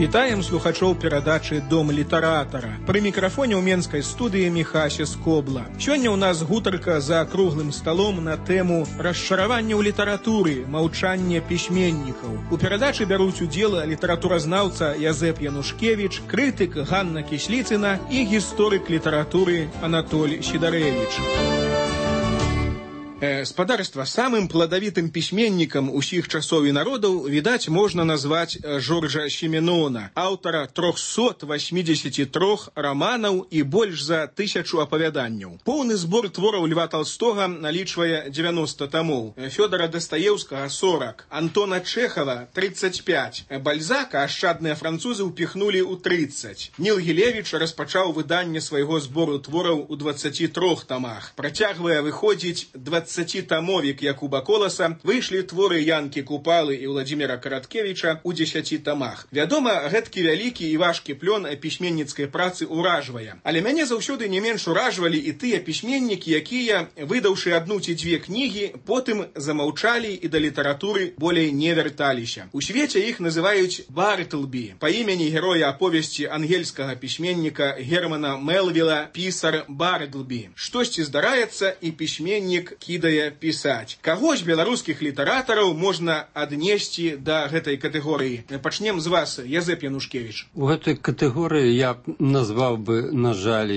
Вітаем слухачоў перадачы «Дом літаратара». Пры мікрафоне ў менскай студыі Міхася Скобла. Сёння ў нас гутарка за круглым сталом на тэму расчаравання ў літаратуры, маўчанне пісьменнікаў. У перадачы бяруць удзел літаратуразнаўца Язэп Янушкевіч, крытык Ганна Кісліцына і гісторык літаратуры Анатоль Сідарэвіч. Спадарства, самым пладавітым пісьменнікам усіх часоў і народаў, відаць, можна назваць Жоржа Сіменона, аўтара 383 раманаў і больш за 1000 апавяданняў. Поўны збор твораў Льва Толстога налічвае 90 тамоў, Фёдора Дастаеўскага 40, Антона Чэхава 35, Бальзака ашчадныя французы ўпіхнулі ў 30. Ніл Гілевіч распачаў выданне свайго збору твораў у 23 тамах. Працягвае выходзіць 20-тамовік Якуба Коласа, выйшлі творы Янкі Купалы і Владзіміра Караткевіча ў 10 тамах. Вядома, гэткі вялікі і важкі плён пісьменніцкай працы ўражвае. Але мяне заўсёды не менш уражвалі і тыя пісьменнікі, якія, выдаўшы адну ці дзве кнігі, потым замаўчалі і да літаратуры болей не вярталіся. У свеце іх называюць Бартлбі, па імені героя аповесці ангельскага пісьменніка Германа Мелвіла «Пісар Бартлбі». Штосьці здараецца, і пісьменнік кідае пісаць. Каго з беларускіх літаратараў можна аднесці да гэтай катэгорыі? Пачнем з вас, Язэп Янушкевіч. У гэтай катэгорыі я б назваў бы, на жаль,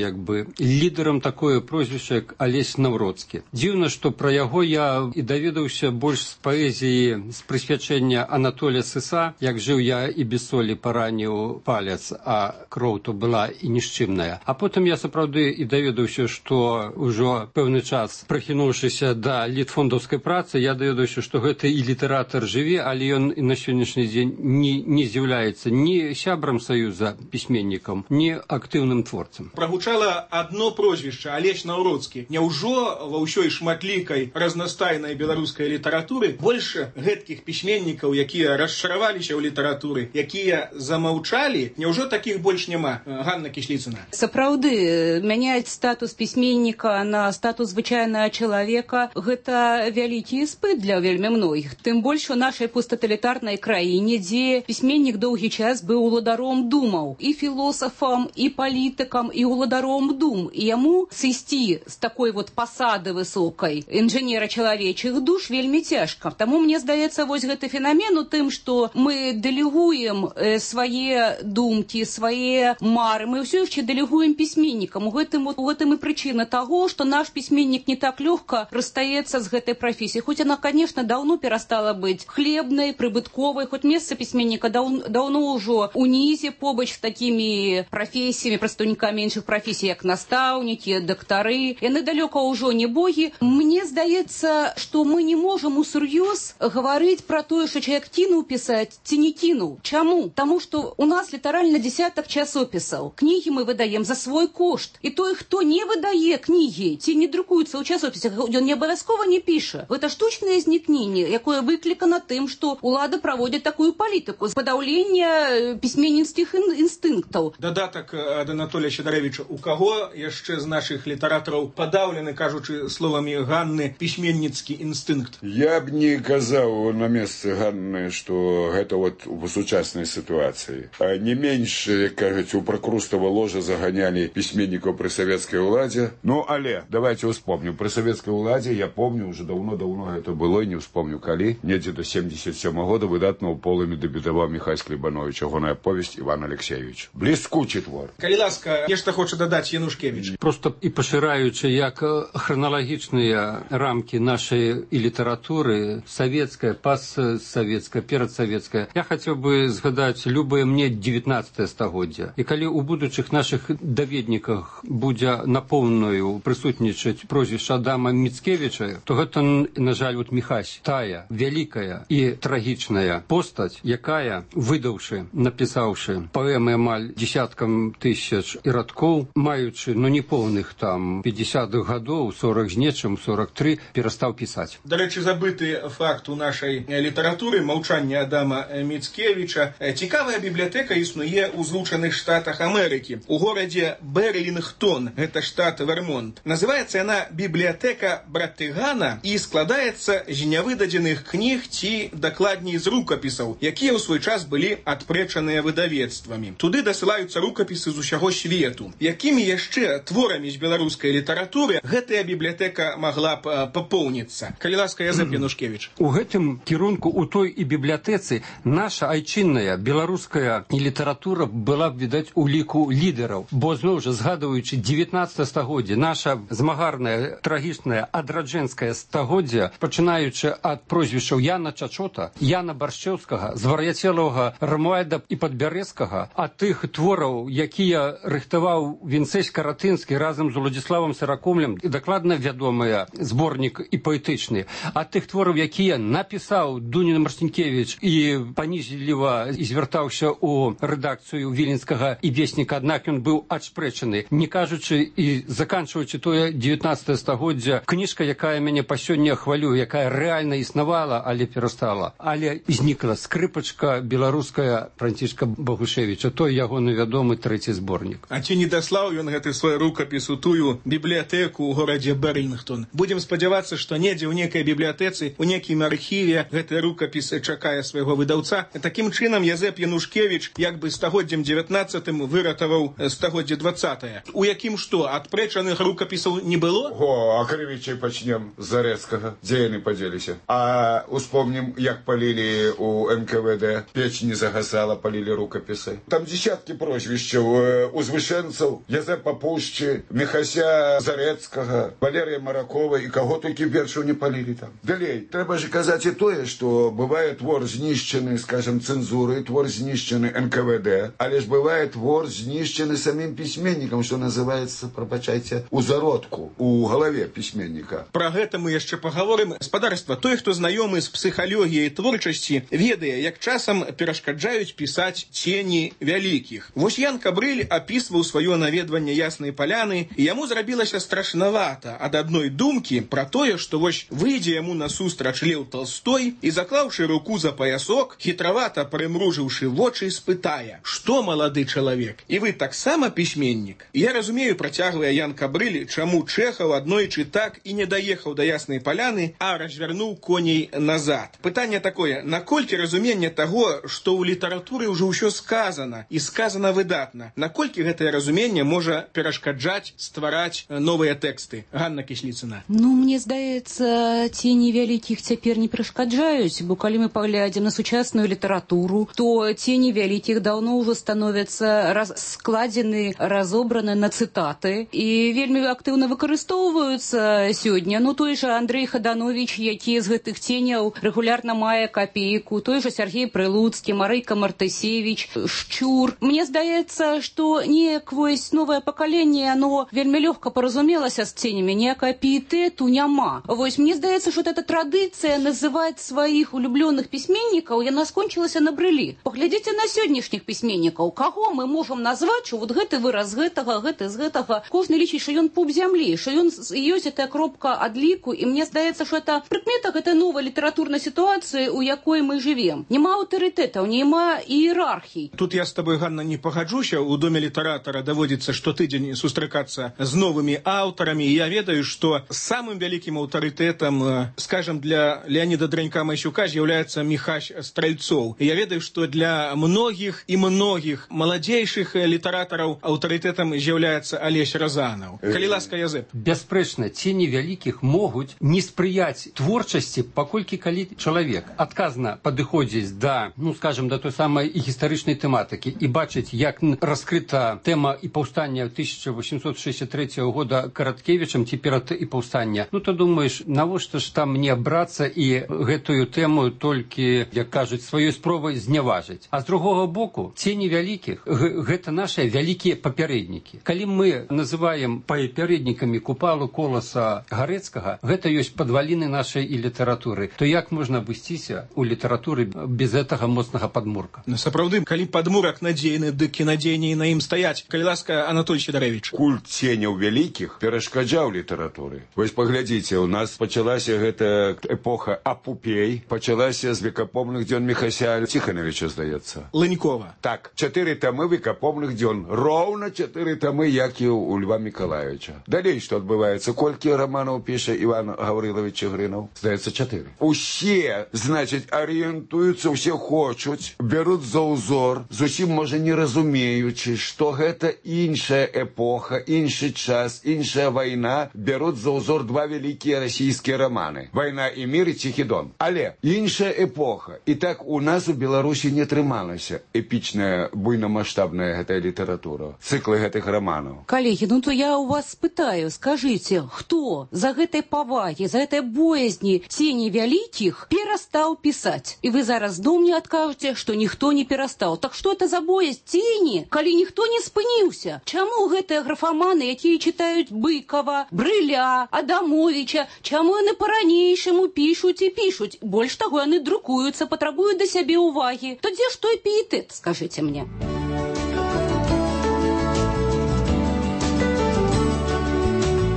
лідарам такое прозвішча, як Алесь Наўродскі. Дзіўна, што пра яго я і даведаўся больш з паэзіі, з прысвячэння Анатоля Сыса, як жыў я і без солі параніў палец, а кроў то была і нішчымная. А потым я сапраўды і даведаўся, што ўжо пэўны час, прахінуўшыся да літфондаўскай працы, я даведаўся, што гэты і літаратар жыве, але ён і на сённяшні дзень не з'яўляецца ні сябрам саюза пісьменнікам, ні актыўным творцам. Прагучала адно прозвішча Алесь Наўродскі. Няўжо ва ўсёй шматлікай разнастайнай беларускай літаратуры больш гэткіх пісьменнікаў, якія расчараваліся ў літаратуры, якія замаўчалі, няўжо такіх больш няма? Ганна Кісліцына. Сапраўды, мяняць статус пісьменніка на статус звычайнага чалавека – гэта вялікі іспыт для вельмі многіх. Тым больш у нашай посттоталітарнай краіне, дзе пісьменнік доўгі час быў уладаром думаў, і філосафам, і палітыкам, і уладаром дум. І яму сысці з такой пасады высокай інжынера чалавечых душ вельмі цяжка. Таму мне здаецца, вось гэты фенамен у тым, што мы дэлегуем свае думкі, свае мары, мы ўсё яшчэ дэлегуем пісьменнікам. У гэтым і прычына таго, што наш пісьменнік не так лёгка расстаецца з гэтай прафесіяй. Хоць яна, конечно, даўно перастала быць хлебнай, прыбытковай, хоць месца пісьменніка даўно ўжо унізе побач з такімі прафесіямі, прадстаўнікамі іншых прафесій, як настаўнікі, дактары. Яны далёка ўжо не богі. Мне здаецца, што мы не можам усур'ёз гаварыць пра тое, што чалавек кінуў пісаць ці не кінуў. Чаму? Таму што у нас літаральна дзесятак часопісаў. Кнігі мы выдаем за свой кошт. І той, хто не выдае кнігі ці не друкуецца ў часопісах, ён не абавязкова не піша. Гэта штучнае знікненне, якое выклікана тым, што ўлада праводзіць такую палітыку з падаўлення пісьменніцкіх інстынктаў. Дадатак ад Анатолія Сідарэвіча. У каго яшчэ з нашых літаратараў падаўлены, кажучы словамі Ганны, пісьменніцкі інстынкт? Я б не казаў на месцы Ганны, што гэта у сучаснай сітуацыі. Не менш, як кажуць, у пракрустава ложа заганялі пісьменнікаў пры савецкай уладзе. Але давайте успомню. Пры савецкай уладзе, я помню, уже даўно гэта было, не успомню калі, недзе до 77 года выдатна ў полымі дэбютаваў Міхась Клебанович, ягоная повесть Іван Алексеевич. Бліскучы твор. Калі ласка, нешта хоча дадаць Янушкевіч. Просто і пашыраючы, як храналагічныя рамкі нашай і літаратуры, савецкая, пастсавецкая, перадсавецкая, я хацеў бы згадаць любое мне 19 стагоддзя. І калі ў будучых нашых даведніках будзе напоўнаю прысутнічаць прозвішча Адама Міцкевіча, Марцінкевіча, то гэта, на жаль, вот Міхась, тая вялікая і трагічная постаць, якая, выдаўшы, напісаўшы паэмы амаль десяткам тысяч і радкоў, маючы, неполных там 50-х гадоў, 40 з нечым, 43, перастаў пісаць. Дарэчы, забыты факт у нашай літаратуры маўчання Адама Міцкевіча. Цікавая бібліятэка існуе ў Злучаных Штатах Амерыкі, у горадзе Берлінгтон, гэта штат Вермонт. Называецца яна бібліятэка Братыгана і складаецца з нявыдадзеных кніг ці, дакладней, з рукапісаў, якія ў свой час былі адпрэчаныя выдавецтвамі. Туды дасылаюцца рукапісы з усяго свету. Якімі яшчэ творамі з беларускай літаратуры гэтая бібліятэка магла б папоўніцца? Калі ласка, Язэп Янушкевіч. У гэтым кірунку, у той і бібліятэцы, наша айчынная беларуская літаратура была б, відаць, у ліку лідараў. Бо, зноў жа, згадваючы 19 стагоддзе, наша змагарнае, трагічнае, адраджэнскае стагоддзе, пачынаючы ад прозвішчаў Яна Чачота, Яна Баршчэўскага, звар'яцелага Рамуальда і Падбярэзскага, ад тых твораў, якія рыхтаваў Вінцэсь Каратынскі разам з Уладзіславам Сыракомлем, і дакладна вядомыя зборнік і паэтычны, ад тых твораў, якія напісаў Дунін Марцінкевіч і панізліва звяртаўся ў рэдакцыю Віленскага і Весніка, аднак ён быў адшпрэчаны. Не кажучы і заканчваючы тое 19 стагоддзя, кніжка, якая мяне па сёння хвалюе, якая рэальна існавала, але перастала. Але знікла скрыпачка беларуская Францішка Багушевіча, той ягоны вядомы трэці зборнік. А ці не даслаў ён гэты свой рукапіс у тую бібліятэку ў горадзе Берлінгтон? Будзем спадзявацца, што недзе ў некай бібліятэцы, у некім архіве гэты рукапіс чакае свайго выдаўца. Такім чынам Язэп Янушкевіч як бы стагоддзем 19-м выратаваў стагоддзе 20-е. У якім што, адпрэчаных рукапісаў не было? О, а крывічай пачнем з Зарэцкага. Дзе яны падзеліся? А успомнім, як палілі у НКВД. Печ не загасала, палілі рукапісы. Там десяткі прозвішчаў узвышэнцаў, Язэпа Пушчы, Міхася Зарэцкага, Валерія Маракова і каго толькі першую не палілі там. Далей, трэба ж казаць і тое, што бывае твор знішчаны, скажем, цэнзурай, твор знішчаны НКВД, але ж бывае твор знішчаны самім пісьменнікам, што называецца, прабачайце, у зародку, у галаве пісьменніка. Пра гэта мы яшчэ пагаворым. Спадарства, той, хто знаёмы з псіхалогіяй творчасці, ведае, як часам перашкаджаюць пісаць цені вялікіх. Вось Ян Кабрыль апісваў сваё наведванне Яснай Паляны, і яму зрабілася страшнавата ад адной думкі пра тое, што вось выйдзе яму насустрач Леў Талстой і, заклаўшы руку за паясок, хітравата прымружыўшы вочы, спытае: «Што, малады чалавек, і вы таксама пісьменнік?» Я разумею, працягвае Ян Кабрыль, чаму Чэхаў аднойчы так і не даехаў да Яснай Паляны, а развярнуў коней назад. Пытанне такое: наколькі разуменне таго, што ў літаратуры ўжо ўсё сказана, і сказана выдатна, наколькі гэтае разуменне можа перашкаджаць ствараць новыя тэксты? Ганна Кісліцына. Мне здаецца, цені вялікіх цяпер не перашкаджаюць, бо калі мы паглядзім на сучасную літаратуру, то цені вялікіх даўно ўжо становяцца складзены, разобраны на цытаты і вельмі актыўна выкарыстоўваюцца сёння. Той жа Андрэй Хадановіч, які з гэтых ценяў рэгулярна мае капейку, той жа Сергей Прылуцкі, Марыка Мартысевіч, Шчур. Мне здаецца, што неяк вось новае пакаленне, оно вельмі лёгка паразумелася з ценямі, ніякага піетэту няма. Вось мне здаецца, што эта традыцыя называць сваіх улюблёных пісьменнікаў, яна скончылася на брылі. Паглядзіце на сённяшніх пісьменнікаў, каго мы можам назваць, што вот гэты выраз гэтага, гэты з гэтага. Кожны лічыць, што ён пуп зямлі, што ён ёсць гэтая кропка адліку, і мне здаецца, што это прыкмета гэтай новай літаратурнай сітуацыі, у якой мы жывем. Няма аўтарытэтаў, няма іерархій. Тут я з табой, Ганна, не пагаджуся. У доме літаратара даводзіцца штотыдзень сустракацца з новымі аўтарамі, і я ведаю, што самым вялікім аўтарытэтам, скажем, для Леаніда Дранька-Масюка з'яўляецца Міхась Стральцоў. Я ведаю, што для многіх і многіх маладзейшых літаратараў аўтарытэтам з'яўляецца Алесь Разанаў. Калі ласка, Язэп. Бясспрэчна, цені вялікіх могуць не спрыяць творчасці, паколькі калі чалавек адказна падыходзіць да, скажем, да той самай гістарычнай тэматыкі і бачыць, як раскрыта тэма і паўстання 1863 года Караткевічам ці перад і паўстання, то думаеш, навошта ж там мне брацца і гэтую тэму толькі, як кажуць, сваёй спробай зняважыць. А з другога боку, цені вялікіх гэта нашыя вялікія папярэднікі. Калі мы называем папярэднікамі Купалу, Коласа, Гарэцкага, гэта ёсць падваліны нашай і літаратуры, то як можна абысціся ў літаратуры без гэтага моцнага падмурка? Сапраўды, калі падмурак надзейны, дык і надзейней на ім стаяць. Калі ласка, Анатоль Сідарэвіч. Культ ценяў вялікіх перашкаджаў літаратуры. Вось паглядзіце, у нас пачалася гэта эпоха апупей, пачалася з векапомных дзён Міхася Ціхановіча, здаецца. Лынькова. Так, 4 тамы векапомных дзён. Роўна 4 тамы, як і у Льва Мікалаевича. Далей, што адбываецца? Колькі раманаў піша Іван Гаврилович Чигринов? Здаецца, 4. Усе, значыць, арыентуюцца, усе хочуць, бяруць за ўзор, зусім, можа, не разумеючы, што гэта іншая эпоха, іншы час, іншая вайна, бяруць за ўзор 2 вялікія расійскія раманы. «Вайна і мір» і «Ціхі дон». Але іншая эпоха. І так у нас у Беларусі не трымалася эпічная, буйнамаштабная гэтая літаратура, цыклы гэтых раманаў. Коллеги, ну то я у вас спытаю, скажите, хто за гэтай павагі, за гэтай боязні цені вялікіх перастаў пісаць? І вы зараз зноў мне адкажете, што ніхто не перастаў. Так што это за боязнь цені, калі ніхто не спыніўся? Чаму гэтыя графаманы, якія читаюць Быкова, Брыля, Адамовича, чаму яны по-ранейшаму пішуць і пішуць? Больш таго, яны друкуюцца, патрабуюць да сябе ўвагі. То дзе ж той піетэт, скажыце мне?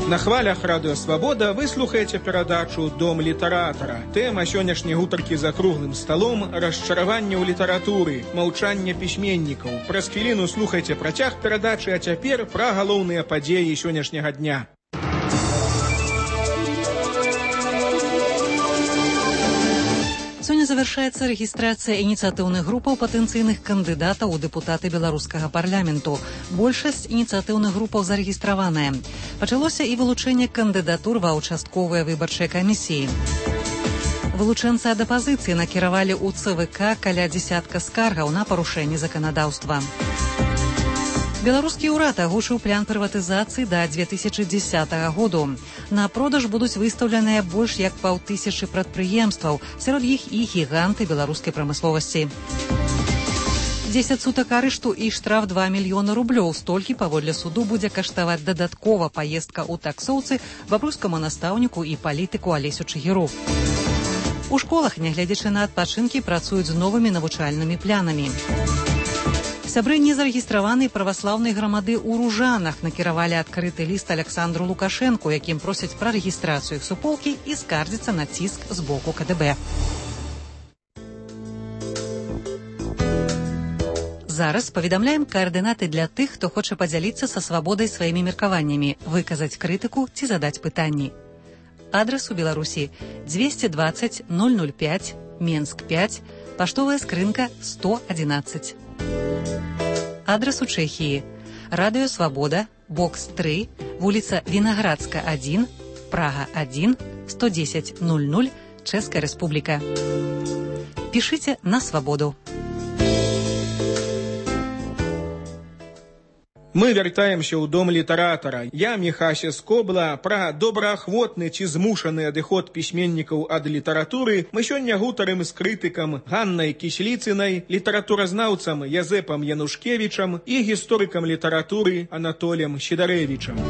На хвалях Радыё Свабода вы слухаеце перадачу «Дом літаратара». Тэма сённяшняй гутаркі за круглым сталом – расчараванне ў літаратуры, маўчанне пісьменнікаў. Праз хвіліну слухайце працяг перадачы, а цяпер пра галоўныя падзеі сённяшняга дня. Сёння завяршаецца рэгістрацыя ініцыятыўных групаў патэнцыйных кандыдатаў у дэпутаты беларускага парламенту. Большасць ініцыятыўных групаў зарэгістраваная. Пачалося і вылучэнне кандыдатур ва ўчастковыя выбарчыя камісіі. Вылучэнцы ад апазіцыі накіравалі ў ЦВК каля дзесятка скаргаў на парушэнне заканадаўства. Беларускі ўрад агучыў план прыватызацыі да 2010 году. На продаж будуць выстаўленыя больш як 5000 прадпрыемстваў, сярод іх і гіганты беларускай прамысловасці. 10 сутак арышту і штраф 2 мільёны рублёў. Столькі, паводле суду, будзе каштаваць дадаткова паездка ў таксоўцы, бабруйскаму настаўніку і палітыку Алесю Чыгіру. У школах, нягледзячы на адпачынкі, працуюць з новымі навучальнымі планамі. Сябры незарэгістраванай праваслаўнай грамады ў Ружанах накіравалі адкрыты ліст Александру Лукашэнку, якім просяць пра рэгістрацыю іх суполкі і скардзіцца на ціск з боку КДБ. Зараз паведамляем каардынаты для тых, хто хоча падзяліцца са свабодай сваімі меркаваннямі, выказаць крытыку ці задаць пытанні. Адрас у Беларусі 220 005, Менск 5, паштовая скрынка 111. Адрас у Чэхіі. Радыё Свабода, бокс 3, вуліца Вінаградска 1, Прага 1, 110 00, Чэшская Рэспубліка. Пішыце на Свабоду. Мы вяртаемся ў дом літаратара. Я, Міхася Скобла, пра добраахвотны ці змушаны адыход пісьменнікаў ад літаратуры мы сёння гутарым з крытыкам Ганнай Кісліцынай, літаратуразнаўцам Язэпам Янушкевічам і гісторыкам літаратуры Анатолем Сідарэвічам.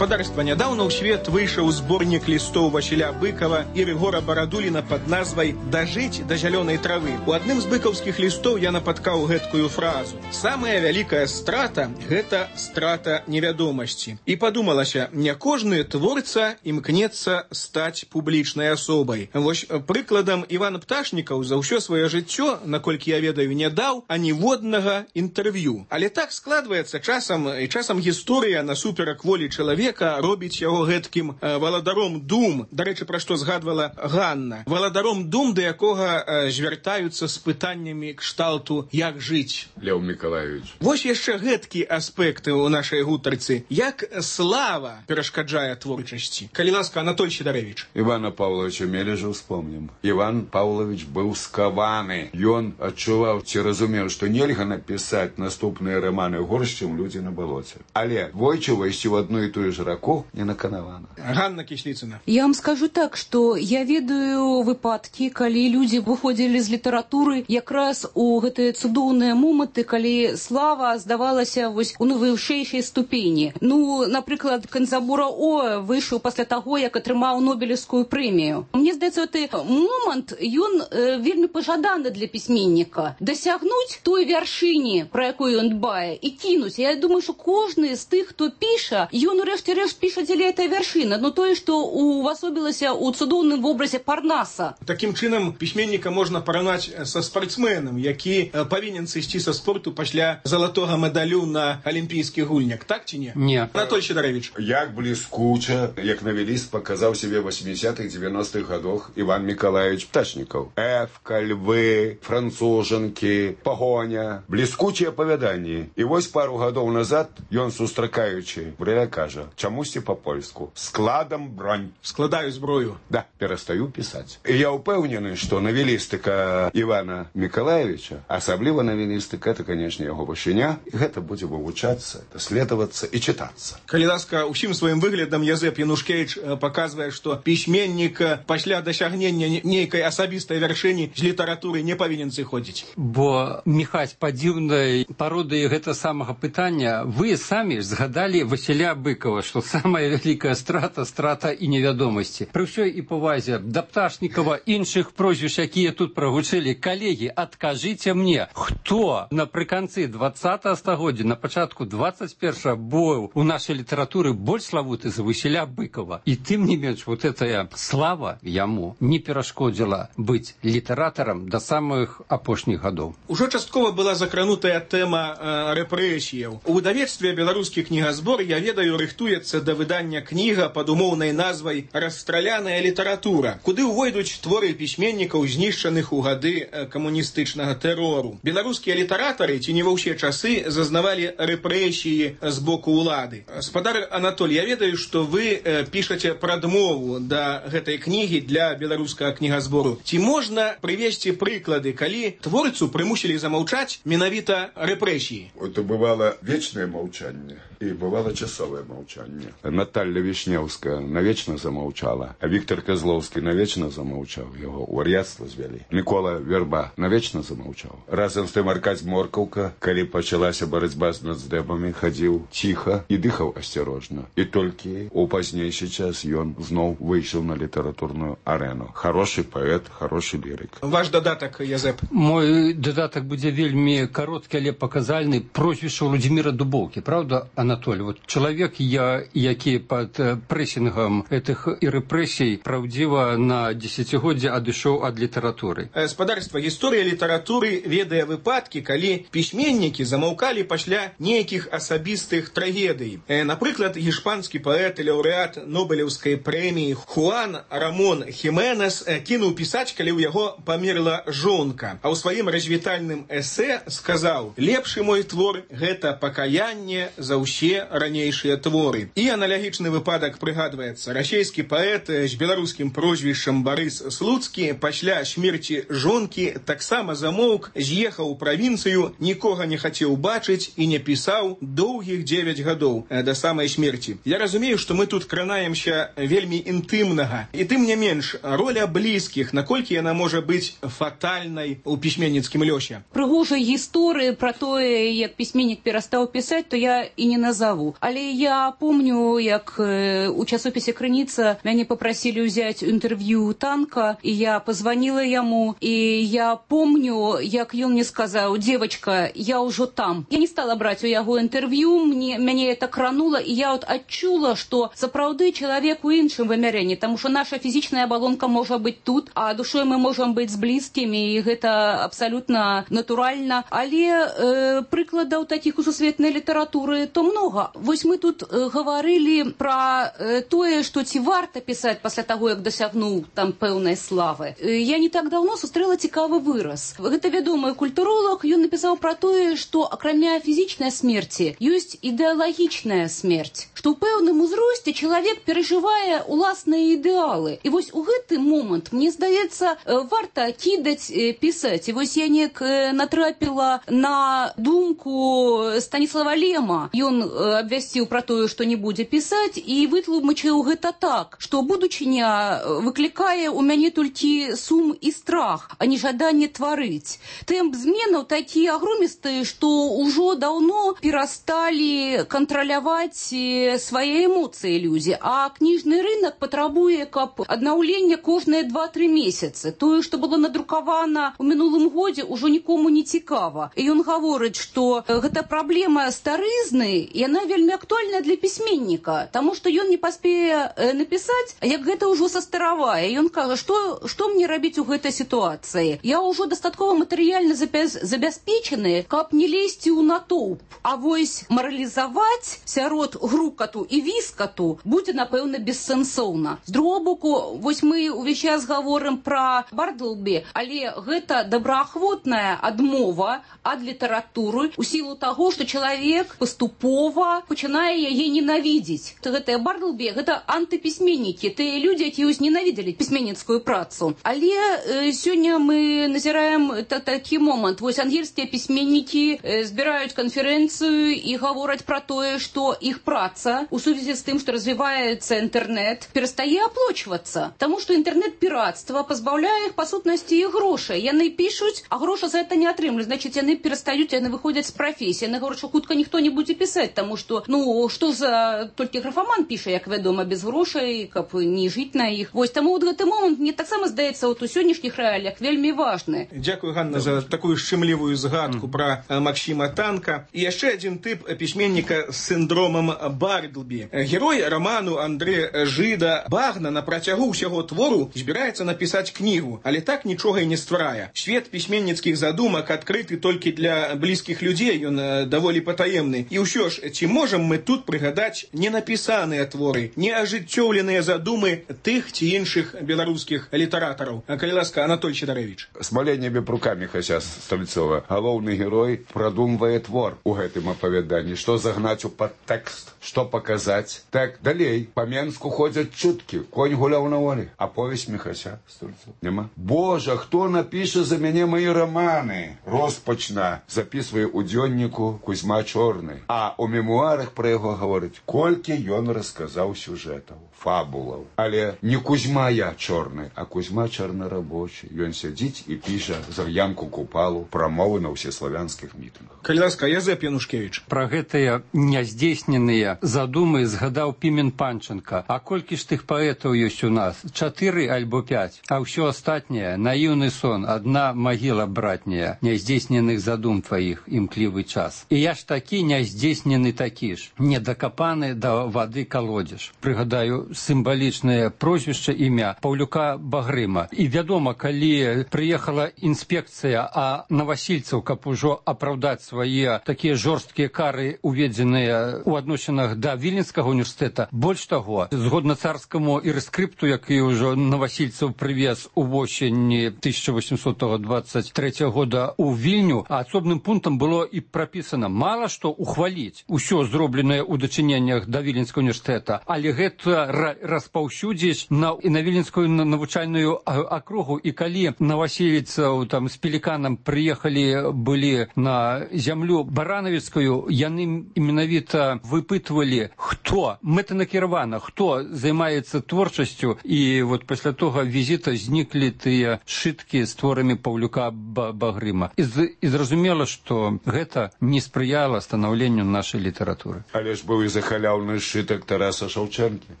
Гаспадарства, нядаўна ў свет выйшаў зборнік лістоў Васіля Быкова і Рыгора Барадуліна пад назвай «Дажыць да зялёнай травы». У адным з быкаўскіх лістоў я напаткаў гэткую фразу. Самая вялікая страта – гэта страта невядомасці. І падумалася, не кожны творца імкнецца стаць публічнай асобай. Вось прыкладам Іван Пташнікаў за ўсё сваё жыццё, наколькі я ведаю, не даў аніводнага інтэрв'ю. Але так складваецца часам гісторыя насуперак волі чалавека робіць яго гэткім валадаром дум, дарэчы, пра што згадвала Ганна, валадаром дум, да якога звяртаюцца з пытаннямі кшталту «Як жыць?» Леў Мікалаевич. Вось яшчэ гэткі аспекты ў нашай гутарцы. Як слава перашкаджае творчасці? Калі ласка, Анатоль Сідарэвіч. Івана Павловича Мележа вспомнім. Іван Павлович быў скаваны. Ён адчуваў ці разумеў, што нельга напісаць наступныя раманы горш, чым «Людзі на балоце». Але двойчы ўвайсці ў адну і тую ж чужаку не наканавана. Ганна Кислицына. Я вам скажу так, что я ведаю выпадки, калі люди выходили из литературы якраз у гэтыя цудоўныя моманты, калі слава здавалася вось у найвышэйшай ступені. Ну, напрыклад, Канзабура О выйшаў пасля таго, як атрымаў Нобелевскую прэмію. Мне здаецца, гэты момант, ён вельмі пажаданы для пісьменніка. Дасягнуць той вяршыні, пра якую ён дбае, і кінуць. Я думаю, што кожны з тых, хто піша, ён урэшце-рэшт піша дзеля этой вяршыны. Но тое, што увасобілася ў цудоўным вобразе Парнаса. Такім чынам пісьменніка можна параўнаць са спартсменам, які павінен сысці са спорту пасля залатога медалю на алімпійскіх гульнях. Так ці не? Не. Анатоль Сидорович. Як бліскуча, як навеліст паказаў себе 80-х, 90-х годах Іван Миколаевич Пташнікаў. Эвка, львы, францужанкі, пагоня. Бліскучыя апавяданні. І вось пару гадоў назад ён, сустракаючы, брэля кажа, чамусьці па-польску, складам бронь. Складаю зброю. Да, перастаю пісаць. І я ўпэўнены, што навелістыка Івана Миколаевича, асабліва навелістыка, это, конечно, яго вышыня, і гэта будзе вывучацца, даследавацца і чытацца. Калі ласка, усім сваім выглядам Язэп Янушкевич паказвае, што пісьменнік пасля дасягнення нейкай асабістай вяршыні з літаратуры не павінен сыходзіць. Бо, Міхась, па дзіўнай пародыі гэта самага пытання, вы самі згадалі Васіля Быкова, што самая вялікая страта і невядомасці. Пры ўсёй і павазе да Пташнікава, іншых прозвіш, якія тут прагучылі, калегі, адкажыце мне, хто напрыканцы 20-го стагоддзя, на пачатку 21-го быў у нашай літаратуры больш славуты за Васіля Быкова. І тым не менш, вот этая слава яму не перашкодзіла быць літаратарам да самых апошніх гадоў. Ужо часткова была закранутая тэма рэпрэсіяў. У выдавецтве «Беларускі кнігазбор», я ведаю, рыхтуецца да выдання кніга пад умоўнай назвай «Расстраляная літаратура», куды ўвойдуць творы пісьменнікаў, знішчаных у гады камуністычнага тэрору. Беларускія літаратары ці не ва ўсе часы зазнавалі рэпрэсіі з боку ўлады. Спадар Анатоль, я ведаю, што вы пішаце прадмову да гэтай кнігі для беларускага кнігазбору. Ці можна прывесці прыклады, калі творцу прымусілі замаўчаць менавіта рэпрэсіі? Это бывало вечное молчание и бывало часовое молчание. Наталья Вишневская навечно замолчала, а Виктор Козловский навечно замолчал, его у вар'яцтва звялі. Микола Верба навечно замолчал. Разом с тем Аркадь Моркаўка, калі пачалася барацьба з нацдэбамі, хадзіў ціха і дыхаў асцярожна. І толькі у пазнейшы час ён зноў выйшаў на літаратурную арену. Хороший паэт, хороший лірык. Ваш дадатак, Язэп. Мой дадатак будзе вельмі кароткі, але паказальны. Прозвішча Владзіміра Дубоўкі. Правда, Анатоль? Вот чалавек, які пад прэсінгам гэтых і рэпрэсій праўдзіва на дзесяцігоддзе адышоў ад літаратуры. Спадарства, гісторыя літаратуры ведае выпадкі, калі пісьменнікі замаўкалі пасля нейкіх асабістых трагедый. Напрыклад, гішпанскі паэт і лаўрэат Нобелеўскай прэміі Хуан Рамон Хіменес кінуў пісаць, калі ў яго памерла жонка. А ў сваім развітальным эсэ сказаў: «Лепшы мой твор – гэта пакаянне за ўсе ранейшыя творы». І аналагічны выпадак прыгадваецца. Расійскі паэт з беларускім прозвішчам Барыс Слуцкі пасля смерці жонкі таксама замоўк, з'ехаў у правінцыю, нікога не хацеў бачыць і не пісаў доўгіх 9 гадоў да самай смерці. Я разумею, што мы тут кранаемся вельмі інтымнага. І тым не менш, роля блізкіх, наколькі яна можа быць фатальнай у пісьменніцкім лёсе? Прыгожай гісторыі пра тое, як пісьменнік перастаў пісаць, то я і не назову. Але я помню, як у часопісе «Крыніца» мяне попросили взять интервью Танка, и я позвонила ему, и я помню, як ён мне сказал: «Девочка, я уже там». Я не стала брать у яго интервью, мяне это крануло, и я вот адчула, что сапраўды человек у іншым вымярэнні, потому что наша фізічная абалонка можа быць тут, а душой мы можем быць з блізкімі, і гэта абсолютно натуральна. Але прыкладаў таких у сусветнай літаратуры то много. Вось мы тут говорили про тое, что ці варта писать пасля того, як досягнуў там пэўнай славы. Я не так давно сустрэла цікавы выраз. Гэта вядомы культуролог, ён напісаў про тое, что акрамя фізічнай смерти ёсць ідэалагічная смерць, што ў пэўным узросце чалавек перажывае уласныя ідэалы. І вось у гэты момант, мне здаецца, варта кідаць пісаць. І вось я неяк натрапіла на думку Станіслава Лема. Ён абвясціў пра тое, што не будзе пісаць, і вытлумачыў гэта так, што будучыня выклікае ў мяне толькі сум і страх, а не жаданне тварыць. Тэмп зменаў такі агромісты, што ўжо даўно перасталі кантраляваць свае эмоцыі людзі, а кніжны рынок патрабуе, каб аднаўлення кожныя 2-3 месяцы. Тое, што было надрукавана ў минулым годзе, ўжо нікому не цікава. І ён гаворыць, што гэта праблема старызны, і яна вельмі актуальная для пісьменніка, таму што ён не паспее напісаць, як гэта ўжо састаравае. Ён кажа, што мне рабіць у гэтай сітуацыі? Я ўжо дастаткова матэрыяльна забяспечаны, каб не лезці ў натоўп. А вось маралізаваць сярод грукату і віскату будзе, напэўна, бессэнсоўна. З другого боку, вось мы ўвесь час гаворым пра Бардлбі, але гэта добраахвотная адмова ад літаратуры у сілу таго, што чалавек паступова пачынае яе ненавідзець. Гэтыя Бардлбі, гэта антыпісьменнікі, тыя людзі, якія ўзненавідзелі пісьменніцкую працу. Але сёння мы назіраем такі момант. Вось ангельскія пісьменнікі збіраюць канферэнцыю і гавораць пра тое, што іх праца у сувязі з тым, што развіваецца інтэрнэт, перастае аплочвацца. Таму што інтэрнэт-піратства пазбаўляе іх па сутнасці і грошай. Яны пішуць, а грошы за гэта не атрымліваюць. Значыць, яны перастаюць, яны выходзяць з прафесіі. Яны гавораць, што хутка ніхто не будзе пісаць, таму што, што за толькі графаман піша, як вядома, без грошай, каб не жыць на іх. Вось таму гэты момант мне таксама здаецца у сённяшніх рэаліях вельмі важны. Дзякую, Ганна, за такую шчымлівую згадку пра Максіма Танка. І яшчэ адзін тып пісьменніка з сіндромам Бардлбі. Герой роману Андре Жыда Багна на працягу ўсяго твору збіраецца напісаць кнігу, але так нічога і не стварае. Свет пісьменніцкіх задумак адкрыты толькі для блізкіх людзей, ён даволі патаемны. І ўсё ж, ці можам мы тут прыгадаць ненапісаныя творы, неажыццёўленыя задумы тых ці іншых беларускіх літаратараў? Калі ласка, Анатоль Сідарэвіч. Смаленнямі рукамі хаця Стальцова. Галоўны герой прадумвае твор у гэтым апавяданні. Што загнаць у падтэкст, што паказаць. Так, далей. Па Менску ходзяць чуткі. Конь гуляў на волі. Аповесць Міхася Стальцова. Нема. Божа, хто напіша за мяне мае романы? Роспачна запісвае ў дзённіку Кузьма Чорны. А ў мемуарах пра яго гаворыць, колькі ён расказаў сюжэтаў, фабулаў. Але не Кузьма я чорны, а Кузьма чорнарабочы. Ён сядзіць і піша за ямку купалу прамовы на ўсеславянскіх мітынгах. Калі ласка, Язэп Янушкевіч. Пра гэтыя няздзейсненыя задумы згадаў Пімен Панченка. А колькі ж тых паэтаў ёсць у нас? 4 альбо 5. А ўсё астатняе — наіўны сон, адна магіла братняя, няздзейсненых задум тваіх, імклівы час. І я ж такі няздзейснены такі ж, недакапаны да вады калодзеж. Прыгадаю сімвалічнае прозвішча, імя Паўлюка Багрыма. І вядома, калі прыехала інспекцыя, а навасільцаў, каб ужо апраўдаць свае такія жорсткія кары, уведзеныя ў адносінах да Віленскага універсітэта, больш таго, згодна царскаму ірскрыпту, які ўжо навасільцаў прывез у восені 1823 года ў Вільню, а асобным пунктам было і прапісана мала што ухваліць усё зробленае ў дачыненнях да Віленскага універсітэта, але гэта распаўсюдзіць на Віленскую навучальную акругу. І калі навасіліцаў там з пеліканам прыехалі былі на зямлю баранавіцкую, яны менавіта выпытвалі, хто мэтанакіравана, хто займаецца творчасцю. І вот пасля того візіта зніклі тыя сшыткі з творамі Паўлюка Багрыма. І зразумела, што гэта не спрыяла станаўленню нашай літаратуры. Але ж быў і захаляўны сшытак Тараса Шаўчэнкі.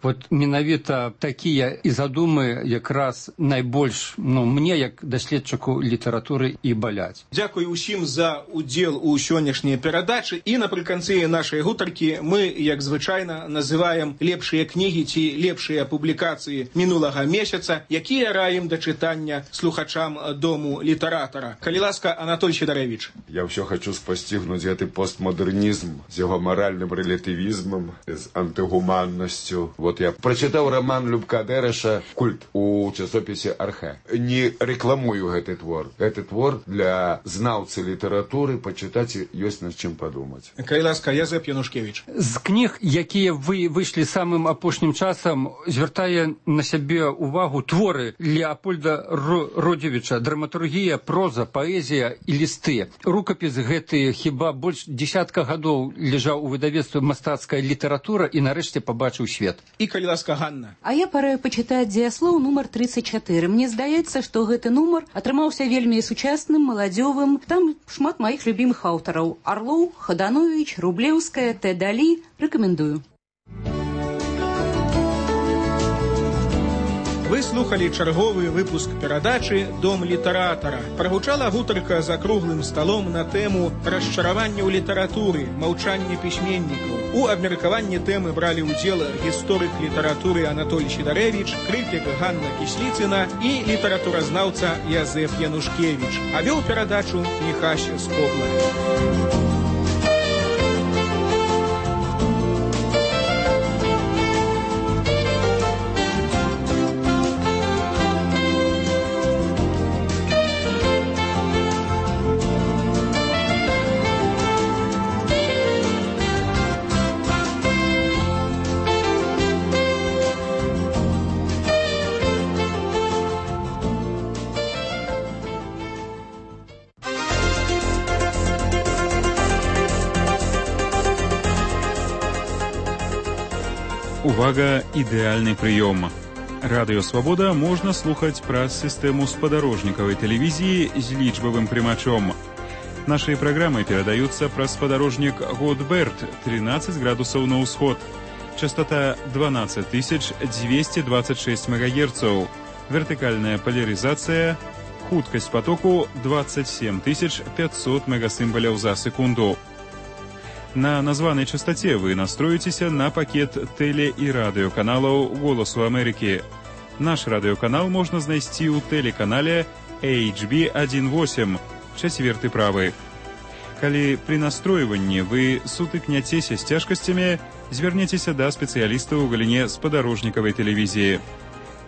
Вот менавіта такія і задумы якраз найбольш, мне, як даследчыку літаратуры, і баляць. Дзякую ўсім за удзел у сённяшняй перадачы. І напрыканцы нашай гутаркі мы, як звычайна, называем лепшыя кнігі ці лепшыя публікацыі мінулага месяца, якія раім да чытання слухачам Дому літаратара. Калі ласка, Анатоль Сідарэвіч. Я ўсё хачу спасцігнуць гэты постмодэрнізм з яго маральным рэлятывізмам, з антыгуманнасцю. Вот я прачытаў роман Любка Дэрэша «Культ» у часопісе «Архэ». Не рэкламую гэты твор. Гэты твор для знаўцы літаратуры пачытаць ёсць над чым падумаць. Калі ласка, Язэп Янушкевіч. З кніг, якія выйшлі самым апошнім часам, звяртае на сябе увагу творы Леапольда Родзевіча, драматургія, проза, паэзія і лісты. Рукапіс гэты хіба больш 10 гадоў ляжаў у выдавецтве «Мастацкая літаратура» і нарэшце пабачыў свет. І, калі ласка, Ганна. А я параю пачытаць дзеяслоў нумар 34. Мне здаецца, што гэты нумар атрымаўся вельмі сучасным, маладзёвым. Там шмат маіх любімых аўтараў. Арлоў, Хаданович, Рублеўская, Т. Далі. Рэкамендую. Вы слухали чарговы выпуск перадачы «Дом літаратара». Прагучала гутарка за круглым сталом на тэму расчаравання ў літаратуры, маўчання пісьменнікаў. У абмеркаванні тэмы бралі ўдзел гісторык літаратуры Анатолій Сідарэвіч, крытык Ганна Кісліцына і літаратуразнаўца Язэф Янушкевіч. А вёў перадачу Міхась Скобла. Увага, ідэальны прыём. Радыё Свабода можна слухаць праз сістэму спадарожнікавай тэлевізіі з лічбавым прымачом. Нашыя праграмы перадаюцца праз спадарожнік Годберт 13 градусаў на ўсход. Частота 12226 МГц. Вертыкальная поляризация. Хуткасць потоку 27500 мегасімбаляў за секунду. На названай частоце вы настроіцеся на пакет тэле- і радыёканалаў «Голасу Амерыкі». Наш радыёканал можна знайсці ў тэлеканале HB18, 4 правы. Калі пры настройванні вы сутыкняцеся з цяжкасцямі, звярнецеся да спецыялістаў у галіне спадарожнікавай тэлевізіі.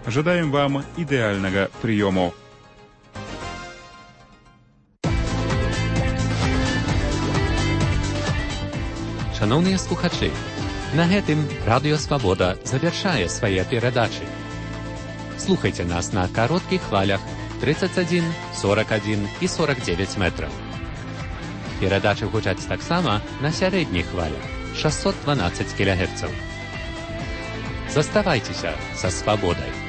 Жадаем вам ідэальнага прыёму. Шановныя слухачы, на гэтым Радыё Свабода завяршае свае перадачы. Слухайце нас на кароткіх хвалях 31, 41 і 49 метраў. Перадачы гучаць таксама на сярэдніх хвалях 612 кГц. Заставайцеся са свабодай.